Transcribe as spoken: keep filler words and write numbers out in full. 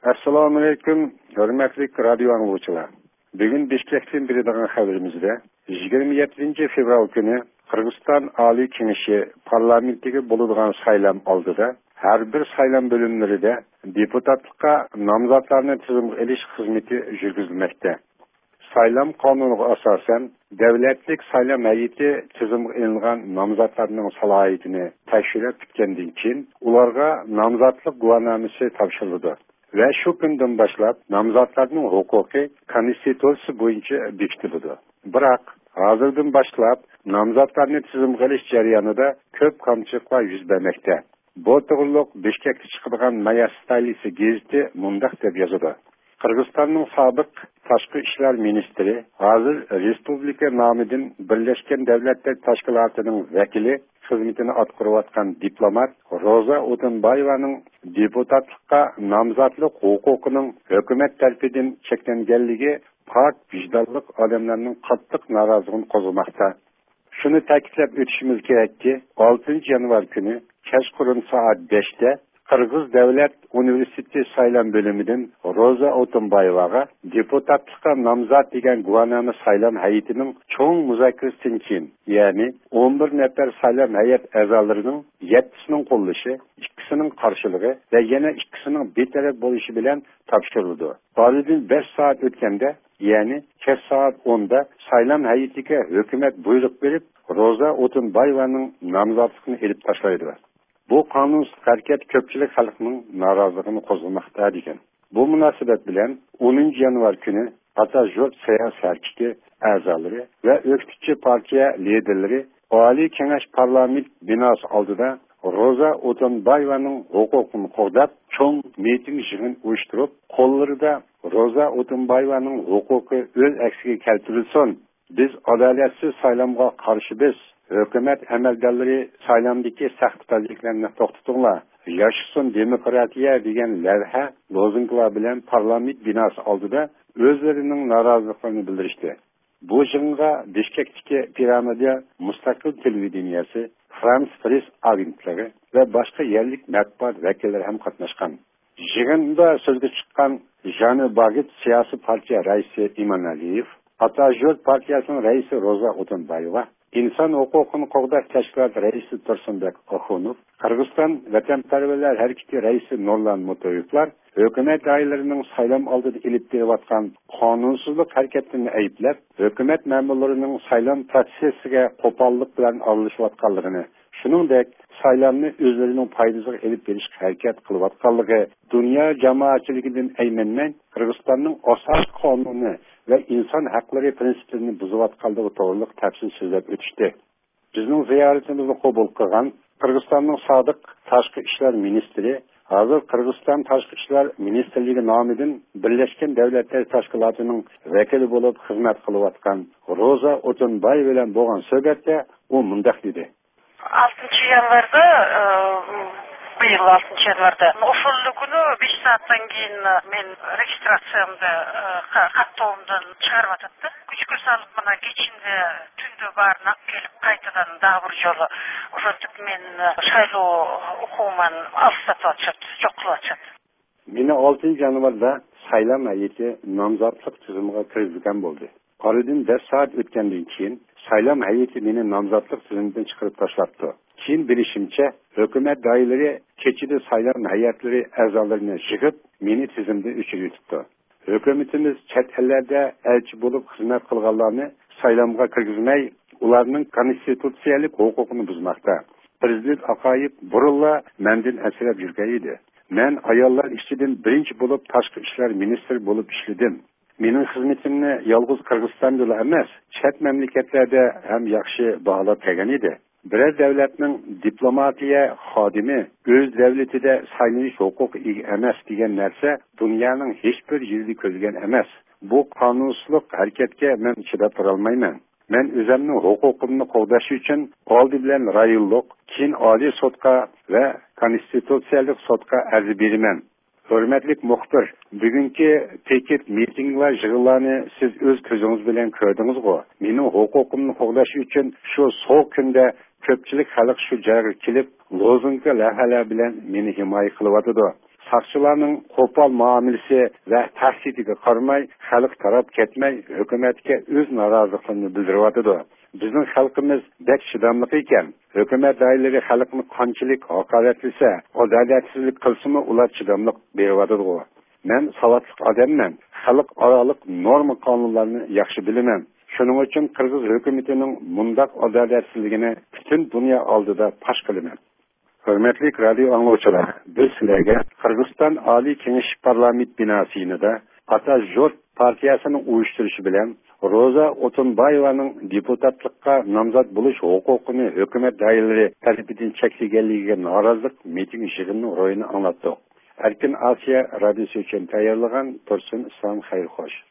ئەسسالامۇئەلەيكۇم، ھۆرمەتلىك رادىيو ئاڭلىغۇچىلار. بۈگۈن بىشكەكتىن بېرىدىغان خەۋىرىمىزدە، يىگىرمە يەتتىنچى فېۋرال كۈنى قىرغىزىستان ئالىي كېڭىشى پارلامېنتىگە بولىدىغان سايلام ئالدىدا ھەر بىر سايلام بۆلۈملىرىدە دېپۇتاتلىققا نامزاتلارنى تىزىمغا ئېلىش خىزمىتى يۈرگۈزۈلمەكتە. سايلام قانۇنىغا ئاساسەن، دۆلەتلىك سايلام ھەيئىتى تىزىمغا ئېلىنغان نامزاتلارنىڭ سالاھىيىتىنى تەكشۈرۈپ پۈتكەندىن كېيىن، ئۇلارغا نامزاتلىق گۇۋاھنامىسى تاپشۇرۇلىدۇ ۋە شۇ كۈندىن باشلاپ نامزاتلارنىڭ ھوقۇقى كونستىتۇتسىيە بويىچە بېكىتىلىدۇ. بىراق، ھازىردىن باشلاپ نامزاتلارنى تىزىمغا ئېلىش جەريانىدا كۆپ كامچىلىقلار يۈز بەرمەكتە. بۇ توغرۇلۇق بىشكەكتە چىقىدىغان مايا ستايلىسى گېزىتى مۇنداق دەپ يازىدۇ: قىرغىزىستاننىڭ سابىق تاشقى ئىشلار مىنىستىرى، ھازىر رېسپۇبلىكا نامىدىن بىرلەشكەن دۆلەتلەر تەشكىلاتىنىڭ ۋەكىلى خىزمىتىنى ئاتقۇرۇۋاتقان دىپلومات روزا ئوتۇنبايېۋانىڭ دېپۇتاتلىققا نامزاتلىق ھوقۇقىنىڭ ھۆكۈمەت تەرىپىدىن چەكلەنگەنلىكى پاك ۋىجدانلىق ئادەملەرنىڭ قاتتىق نارازىلىقىنى قوزغىماقتا. شۇنى تەكىتلەپ ئۆتۈشىمىز كېرەككى، ئالتىنچى يانۋار كۈنى كەچقۇرۇن سائەت بەشتە قىرغىز دۆلەت ئۇنىۋېرسىتېتى سايلام بۆلۈمىدىن روزا ئوتۇنبايېۋاغا دېپۇتاتلىققا نامزات دېگەن گۇۋاھنامە سايلام ھەيئىتىنىڭ چوڭ مۇزاكىرىسىدىن كېيىن، يەنى ئون بىر نەپەر سايلام ھەيئەت ئەزالىرىنىڭ يەتتىسىنىڭ قوللىشى، ئىككىسىنىڭ قارشىلىقى ۋە يەنە ئىككىسىنىڭ بىتەرەپ بولۇشى بىلەن تاپشۇرۇلىدۇ. ئارىدىن بەش سائەت ئۆتكەندە، يەنى كەچ سائەت ئوندا سايلام ھەيئىتىگە ھۆكۈمەت بۇيرۇق بېرىپ، روزا ئوتۇنبايېۋانىڭ نامزاتلىقىنى ئېلىپ تاشلايدۇ. بۇ قانۇنسىز ھەرىكەت كۆپچىلىك خەلقنىڭ نارازىلىقىنى قوزغىماقتا، دېگەن. بۇ مۇناسىۋەت بىلەن ئونىنچى يانۋار كۈنى ئاتاژۇرت ساياھەت ھەرىكىتى ئەزالىرى ۋە ئۆكتىچى پارتىيە لىدېرلىرى ئالىي كېڭەش پارلامېنت بىناسى ئالدىدا روزا ئوتۇنبايېۋانىڭ ھوقۇقىنى قوغداپ، چوڭ مىتىڭ يىغىن ئۇيۇشتۇرۇپ، قوللىرىدا «روزا ئوتۇنبايېۋانىڭ ھوقۇقى ئۆز ئەكسىگە كەلتۈرۈلسۇن! بىز ئادالەتسىز سايلامغا قارشىمىز! ھۆكۈمەت ئەمەلدارلىرى سايلامدىكى ساختىپەزلىكلەرنى توختىتىڭلار! ياشىسۇن دېموكراتىيە!» دېگەن لەۋھە، لوزۇنكىلار بىلەن پارلامېنت بىناسى ئالدىدا ئۆزلىرىنىڭ نارازىلىقلىرىنى بىلدۈرۈشتى. بۇ يىغىنغا بىشكەكتىكى پىرامىدا مۇستەقىل تېلېۋىدېنىيەسى، فرانس پرېس ئاگېنتلىقى ۋە باشقا يەرلىك مەتبۇئات ۋەكىللىرى ھەم قاتناشقان. يىغىندا سۆزگە چىققان ژانى باگېت سىياسىي پارتىيە رەئىسى ئىمانئەلىيېۋ، ئاتاژۇرت پارتىيەسىنىڭ رەئىسى روزا ئوتۇنبايېۋا، ئىنسان ھوقۇقىنى قوغداش تەشكىلاتى رەئىسى تۇرسۇنبېك ئاخۇنوف، قىرغىزىستان ۋەتەنپەرۋەرلەر ھەرىكىتى رەئىسى نۇرلان مۇتۇيېۋلار ھۆكۈمەت دائىرىلىرىنىڭ سايلام ئالدىدا ئېلىپ بېرىۋاتقان قانۇنسىزلىق ھەرىكەتلىرىنى ئەيىبلەپ، ھۆكۈمەت مەمۇرلىرىنىڭ سايلام پروتسېسسىگە قوپاللىق بىلەن ئارىلىشىۋاتقانلىقىنى، شۇنىڭدەك سايلامنى ئۆزلىرىنىڭ پايدىسىغا ئېلىپ بېرىشقا ھەرىكەت قىلىۋاتقانلىقى، دۇنيا جامائەتچىلىكىدىن ئەيمەنمەي، قىرغىزىستاننىڭ ئاساسىي قانۇنى ۋە ئىنسان ھەقلىرى پىرىنسىپلىرىنى بۇزۇۋاتقانلىقى توغرىلىق تەپسىلىي سۆزلەپ ئۆتۈشتى. بىزنىڭ زىيارىتىمىزنى قوبۇل قىلغان قىرغىزىستاننىڭ سابىق تاشقى ئىشلار مىنىستىرى، ھازىر قىرغىزىستان تاشقى ئىشلار مىنىستىرلىكى نامىدىن بىرلەشكەن دۆلەتلەر تەشكىلاتىنىڭ ۋەكىلى بولۇپ خىزمەت قىلىۋاتقان روزا ئوتۇنبايېۋا بىلەن بولغان سۆھبەتتە ئۇ مۇنداق دېدى. Алтынчы январда, э, быйыл алтынчы январда, ошол эле күнү беш сааттан кийин мен регистрациямды, э, ка-, каттоомдон чыгарып атат да. Күчкө салып, мына кечинде, түндө баарын алып келип, кайтадан дагы бир жолу ошентип мен, э, шайлоо укугуман алыстатып атышат, жок кылып атышат. Мени алтынчы январда сайлам һәйәте намзатлык тизимиге киргизген болду. Арадан беш саат өткәндән кин сайлам һәйәте мине намзатлык тизимидән чыгарып ташлапты. Кин белешимчә, хөкүмәт даирләре кечеде сайлам һәйәтләре әгъзаларын җыгып, мине тизимдә өчереп тотты. Хөкүмәтебез чат әлләрдә әлче булып хезмәт кылганларны сайламга кергезмәй, уларның конституциялек хокукын бозмакта. Президент Акаев бурынла мәндән әсрәп йөргән иде. Мен аяллар эшчедән беренче булып ташкы эшләр министры булып эшләдем. Минем хезмәтемне ялгыз Кыргызстандагы эмас, чат мәмләкәтләрдә һәм яхшы баһалап кергән иде. Берәр дәүләтнең дипломатия хадиме үз дәүләтендә сайланыш хокукы ия эмас дигән нәрсә дөньяның һичбер җирдә күрелгән эмас. Бу канунсызлык хәрәкәткә мен чыдап тора алмайман. Мен үземнең хокукымны кулдаш өчен алды белән районлык, кин Али сотка ва конституциялык сотка арыз бирәмен. Хөрмәтлек мөхбир, бүгенге пикет митинглар җыгыланы сез үз күзегез белән күрдегезго. Минем хокукымны кулдаш өчен шу сок көндә көпчелек халык шу җиргә килеп, лозунг ләвһәләр белән мине химая кылып атыды. ساقچىلارنىڭ قوپال مۇئامىلىسى ۋە تەھدىتىگە قارىماي، خەلق تاراپ كەتمەي، ھۆكۈمەتكە ئۆز نارازىلىقلىرىنى بىلدۈرۈۋاتىدۇ. بىزنىڭ خەلقىمىز بەك چىداملىق ئىكەن. ھۆكۈمەت دائىرىلىرى خەلقنى قانچىلىك ھاقارەتلىسە، ئادالەتسىزلىك قىلسىمۇ، ئۇلار چىداملىق بېرىۋاتىدىغۇ. مەن ساۋاتلىق ئادەممەن، خەلقئارالىق نورما قانۇنلارنى ياخشى بىلىمەن. شۇنىڭ ئۈچۈن قىرغىز ھۆكۈمىتىنىڭ مۇنداق ئادالەتسىزلىكىنى پۈتۈن دۇنيا ئالدىدا پاش قىلىمەن. ھۆرمەتلىك رادىيو ئاڭلىغۇچىلار، بىز سىلەرگە قىرغىزىستان ئالىي كېڭىشى پارلامېنت بىناسى يېنىدا ئاتا ژۇرت پارتىيەسىنىڭ ئۇيۇشتۇرۇشى بىلەن روزا ئوتۇنبايېۋانىڭ دېپۇتاتلىققا نامزات بولۇش ھوقۇقىنى ھۆكۈمەت دائىرىلىرى تەرىپىدىن چەكلىگەنلىكىگە نارازىلىق مىتىڭ يىغىنىنىڭ روھىنى ئاڭلاتتۇق. ئەركىن ئاسىيا رادىيوسى ئۈچۈن تەييارلىغان تۇرسۇن ئىسلام، خەير خوش.